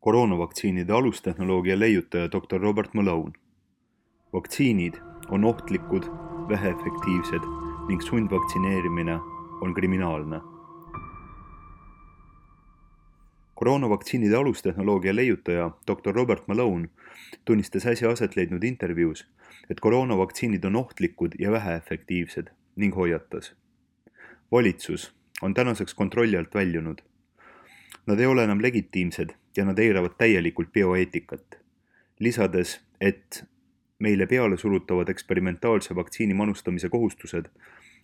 Koroonavaktsiinide alustehnoloogia leiutaja Dr. Robert Malone. Vaktsiinid on ohtlikud, väheefektiivsed ning sundvaktsineerimine on kriminaalne. Koroonavaktsiinide alustehnoloogia leiutaja Dr. Robert Malone tunnistas äsja aset leidnud intervjuus, et koroonavaktsiinid on ohtlikud ja väheefektiivsed ning hoiatas. Valitsus on tänaseks kontrolli alt väljunud. Nad ei ole enam legitiimsed ja nad eiravad täielikult bioeetikat, lisades, et meile peale surutavad eksperimentaalse vaktsiini manustamise kohustused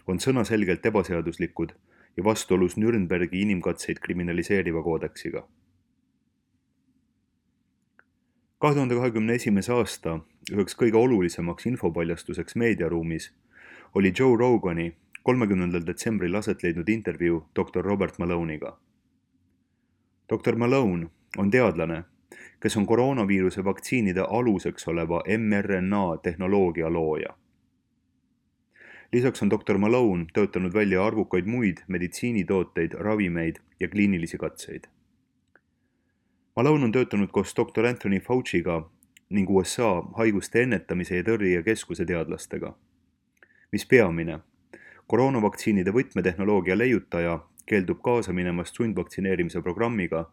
on sõnaselgelt ebaseaduslikud ja vastuolus Nürnbergi inimkatseid kriminaliseeriva koodeksiga. 2021. aasta üheks kõige olulisemaks infopaljastuseks meediaruumis oli Joe Rogani 30. detsembril aset leidnud intervjuu Dr. Robert Malone'iga. Dr. Malone on teadlane, kes on koroonaviiruse vaktsiinide aluseks oleva mRNA tehnoloogia looja. Lisaks on Dr. Malone töötanud välja arvukaid muid meditsiinitooteid, ravimeid ja kliinilisi katseid. Malone on töötanud koos Dr. Anthony Fauci'ga ning USA haiguste ennetamise ja tõrje keskuse teadlastega. Mis peamine, koroonavaktsiinide võtmetehnoloogia leiutaja keeldub kaasa minemast sundvaktsineerimise programmiga,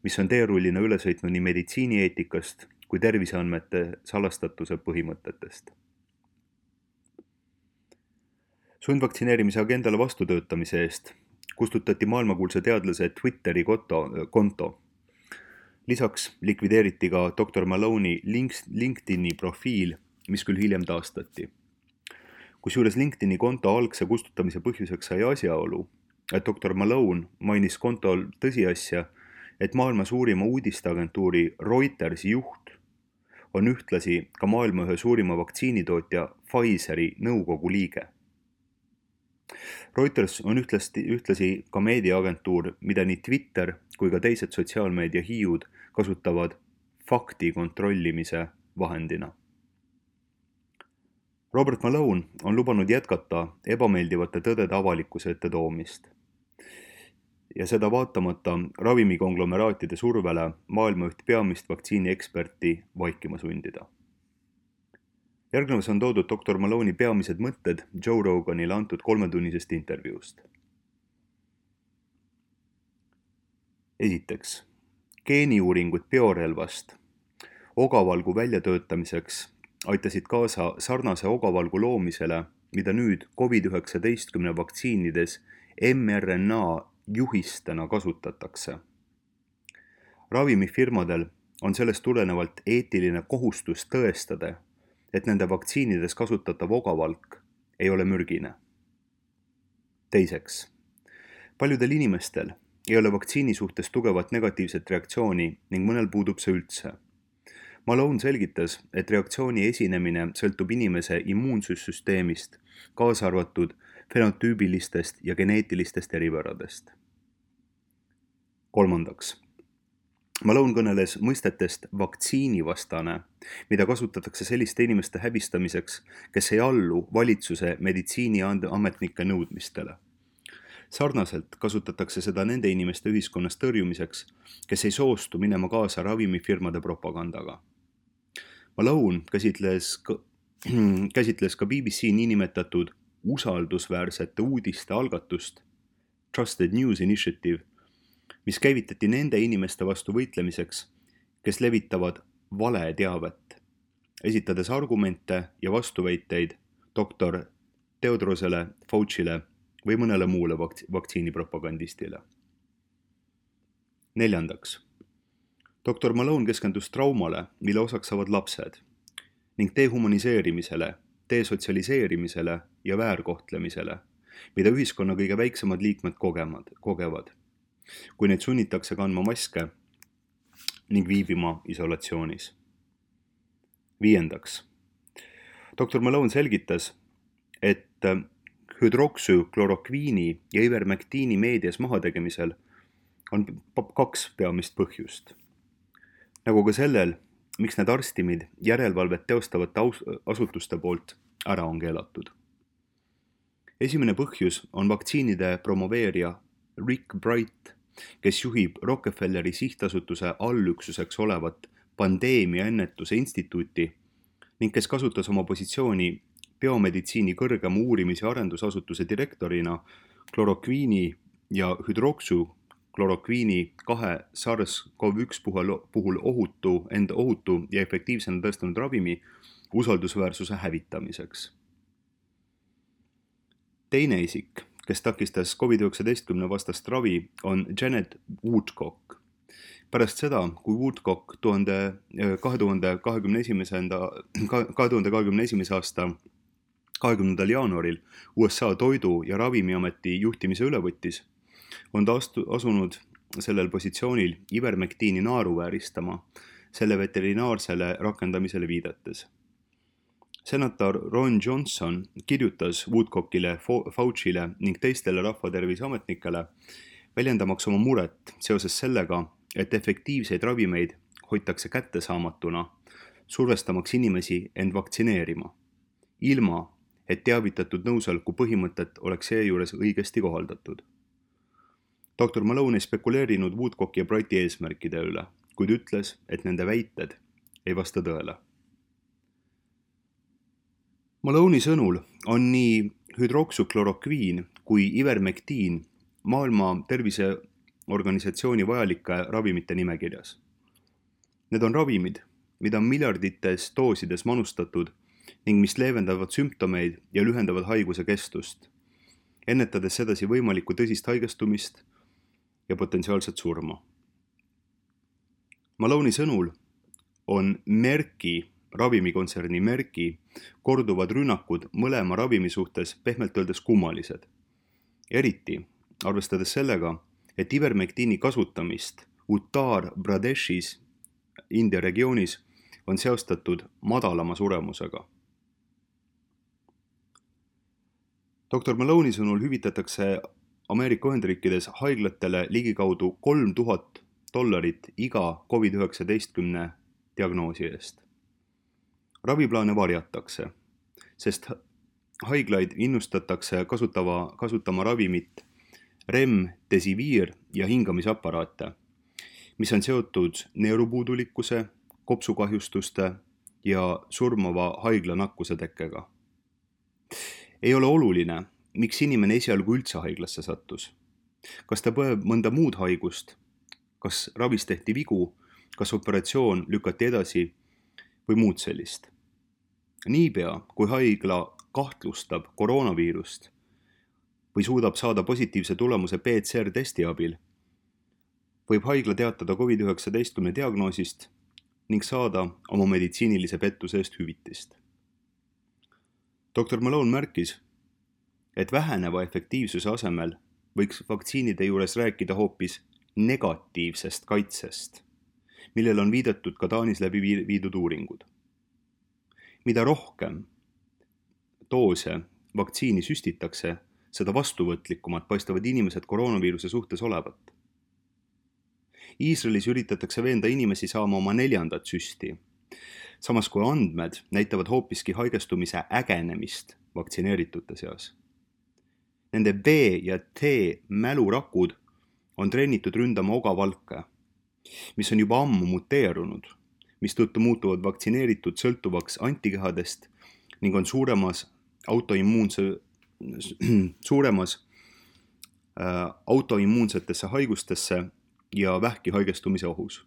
mis on teerullina üle sõitnud nii meditsiinieetikast kui terviseandmete salastatuse põhimõtetest. Sundvaktsineerimise agendale vastutöötamise eest kustutati maailmakuulsa teadlase Twitteri konto. Lisaks likvideeriti ka Dr. Malone'i LinkedIni profiil, mis küll hiljem taastati. Kusjuures LinkedIni konto algse kustutamise põhjuseks sai asjaolu, et Dr. Malone mainis kontol tõsiasja, et maailma suurima uudisteagentuuri Reutersi juht on ühtlasi ka maailma ühe suurima vaktsiinitootja Pfizeri nõukogu liige. Reuters on ühtlasi ka meediaagentuur, mida nii Twitter kui ka teised sotsiaalmeedia hiiud kasutavad fakti kontrollimise vahendina. Robert Malone on lubanud jätkata ebameeldivate tõdede avalikkuse ette toomist. Ja seda vaatamata ravimikonglomeraatide survele maailma üht peamist vaktsiinieksperti vaikima sundida. Järgnevas on toodud Dr. Malone'i peamised mõtted Joe Roganile antud 3-tunnisest intervjuust. Esiteks, geeniuuringud biorelvast ogavalgu väljatöötamiseks aitasid kaasa sarnase ogavalgu loomisele, mida nüüd COVID-19 vaktsiinides mRNA juhistena kasutatakse. Ravimifirmadel on sellest tulenevalt eetiline kohustus tõestada, et nende vaktsiinides kasutatav ogavalk ei ole mürgine. Teiseks, paljudel inimestel ei ole vaktsiini suhtes tugevat negatiivset reaktsiooni ning mõnel puudub see üldse. Malone selgitas, et reaktsiooni esinemine sõltub inimese immuunsussüsteemist, kaasa arvatud fenotüübilistest ja geneetilistest eripäradest. Kolmandaks, Malone kõneles mõistetest vaktsiinivastane, mida kasutatakse selliste inimeste häbistamiseks, kes ei allu valitsuse meditsiiniametnike nõudmistele. Sarnaselt kasutatakse seda nende inimeste ühiskonnas tõrjumiseks, kes ei soostu minema kaasa ravimifirmade propagandaga. Malone käsitles ka BBC niinimetatud usaldusväärsete uudiste algatust Trusted News Initiative, mis käivitati nende inimeste vastu võitlemiseks, kes levitavad valeteavet, esitades argumente ja vastuväiteid doktor Tedrosele, Fauci'le või mõnele muule vaktsiinipropagandistile. Neljandaks, Dr. Malone keskendus traumale, mille osaks saavad lapsed, ning dehumaniseerimisele, desotsialiseerimisele ja väärkohtlemisele, mida ühiskonna kõige väiksemad liikmed kogevad, kui neid sunnitakse kandma maske ning viibima isolatsioonis. Viiendaks, Dr. Malone selgitas, et hüdroksüklorokviini ja ivermektiini meedias mahategemisel on 2 peamist põhjust. Nagu ka sellel, miks need arstimid järelevalvet teostavate asutuste poolt ära on keelatud. Esimene põhjus on vaktsiinide promoveerija Rick Bright, kes juhib Rockefelleri sihtasutuse allüksuseks olevat pandeemiaennetuse instituuti ning kes kasutas oma positsiooni biomeditsiini kõrgema uurimis- ja arendusasutuse direktorina klorokviini ja hüdroksüklorokviini 2 SARS-CoV-1 puhul ohutu ja efektiivsena tõestanud ravimi usaldusväärsuse hävitamiseks. Teine isik, kes takistas COVID-19 vastast ravi, on Janet Woodcock. Pärast seda, kui Woodcock 2021. aasta 20. jaanuaril USA Toidu- ja Ravimiameti juhtimise üle võttis, on ta asunud sellel positsioonil ivermektiini naeruvääristama selle veterinaarsele rakendamisele viidates. Senator Ron Johnson kirjutas Woodcockile, Fauci'le ning teistele rahvaterviseametnikele, väljendamaks oma muret seoses sellega, et efektiivseid ravimeid hoitakse kättesaamatuna, survestamaks inimesi end vaktsineerima, ilma et teavitatud nõusoleku põhimõtet oleks seejuures õigesti kohaldatud. Dr. Malone ei spekuleerinud Woodcocki ja Brighti eesmärkide üle, kuid ütles, et nende väited ei vasta tõele. Malone'i sõnul on nii hüdroksüklorokviin kui ivermektiin Maailma Terviseorganisatsiooni vajalike ravimite nimekirjas. Need on ravimid, mida on miljardites doosides manustatud ning mis leevendavad sümptomeid ja lühendavad haiguse kestust, ennetades sedasi võimalikku tõsist haigestumist ja potentsiaalset surma. Malone'i sõnul on ravimikontserni Merki korduvad rünnakud mõlema ravimi suhtes pehmelt öeldes kummalised. Eriti arvestades sellega, et ivermektiini kasutamist Uttar Pradeshis, India regioonis, on seostatud madalama suremusega. Dr. Malone'i sõnul hüvitatakse Ameerika Ühendriikides haiglatele ligikaudu $3000 iga COVID-19 diagnoosi eest. Raviplaane varjatakse, sest haiglaid innustatakse kasutama ravimit Remdesivir ja hingamisaparaate, mis on seotud neerupuudulikkuse, kopsukahjustuste ja surmava haiglanakkuse tekkega. Ei ole oluline, miks inimene esialgu üldse haiglasse sattus. Kas ta põeb mõnda muud haigust, kas ravis tehti vigu, kas operatsioon lükati edasi või muud sellist. Niipea, kui haigla kahtlustab koroonaviirust või suudab saada positiivse tulemuse PCR-testi abil, võib haigla teatada COVID-19 diagnoosist ning saada oma meditsiinilise pettuse eest hüvitist. Dr. Malone märkis, et väheneva efektiivsuse asemel võiks vaktsiinide juures rääkida hoopis negatiivsest kaitsest, millele on viidatud ka Taanis läbi viidud uuringud. Mida rohkem doose vaktsiini süstitakse, seda vastuvõtlikumad paistavad inimesed koroonaviiruse suhtes olevat. Iisraelis üritatakse veenda inimesi saama oma 4. süsti, samas kui andmed näitavad hoopiski haigestumise ägenemist vaktsineeritute seas. Nende B ja T mälurakud on treenitud ründama ogavalke, mis on juba ammu muteerunud, mistõttu muutuvad vaktsineeritud sõltuvaks antikehadest ning on suuremas autoimmuunsetesse haigustesse ja vähki haigestumise ohus.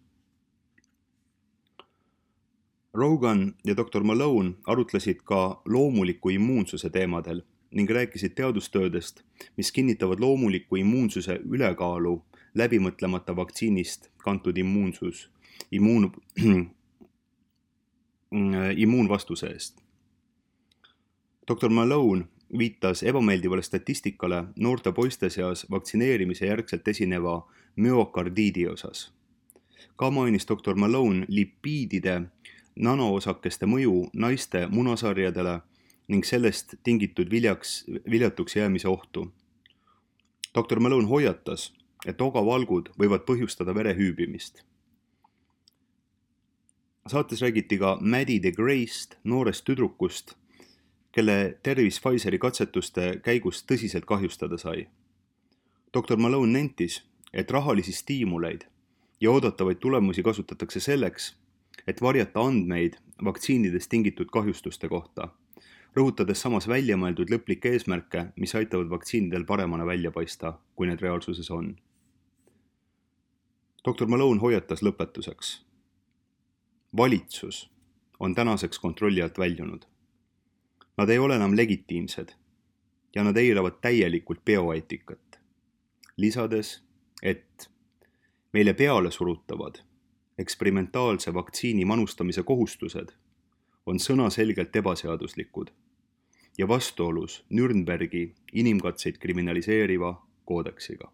Rogan ja Dr. Malone arutlesid ka loomuliku immuunsuse teemadel ning rääkisid teadustöödest, mis kinnitavad loomuliku immuunsuse ülekaalu läbimõtlemata vaktsiinist kantud immuunvastuse eest. Dr. Malone viitas ebameeldivale statistikale noorte poiste seas vaktsineerimise järgselt esineva müokardiidi osas. Ka mainis Dr. Malone lipiidide nanoosakeste mõju naiste munasarjadele ning sellest tingitud viljatuks jäämise ohtu. Dr. Malone hoiatas, et ogavalgud võivad põhjustada vere hüübimist. Saates räägiti ka Maddie de Grey'st, noorest tüdrukust, kelle tervis Pfizeri katsetuste käigus tõsiselt kahjustada sai. Dr. Malone nentis, et rahalisi stiimuleid ja oodatavaid tulemusi kasutatakse selleks, et varjata andmeid vaktsiinidest tingitud kahjustuste kohta, rõhutades samas väljamõeldud lõplikke eesmärke, mis aitavad vaktsiinidel paremana välja paista, kui need reaalsuses on. Dr. Malone hoiatas lõpetuseks. Valitsus on tänaseks kontrolli alt väljunud. Nad ei ole enam legitiimsed ja nad eiravad täielikult bioeetikat, lisades, et meile peale surutavad eksperimentaalse vaktsiini manustamise kohustused on sõnaselgelt ebaseaduslikud ja vastuolus Nürnbergi inimkatseid kriminaliseeriva koodeksiga.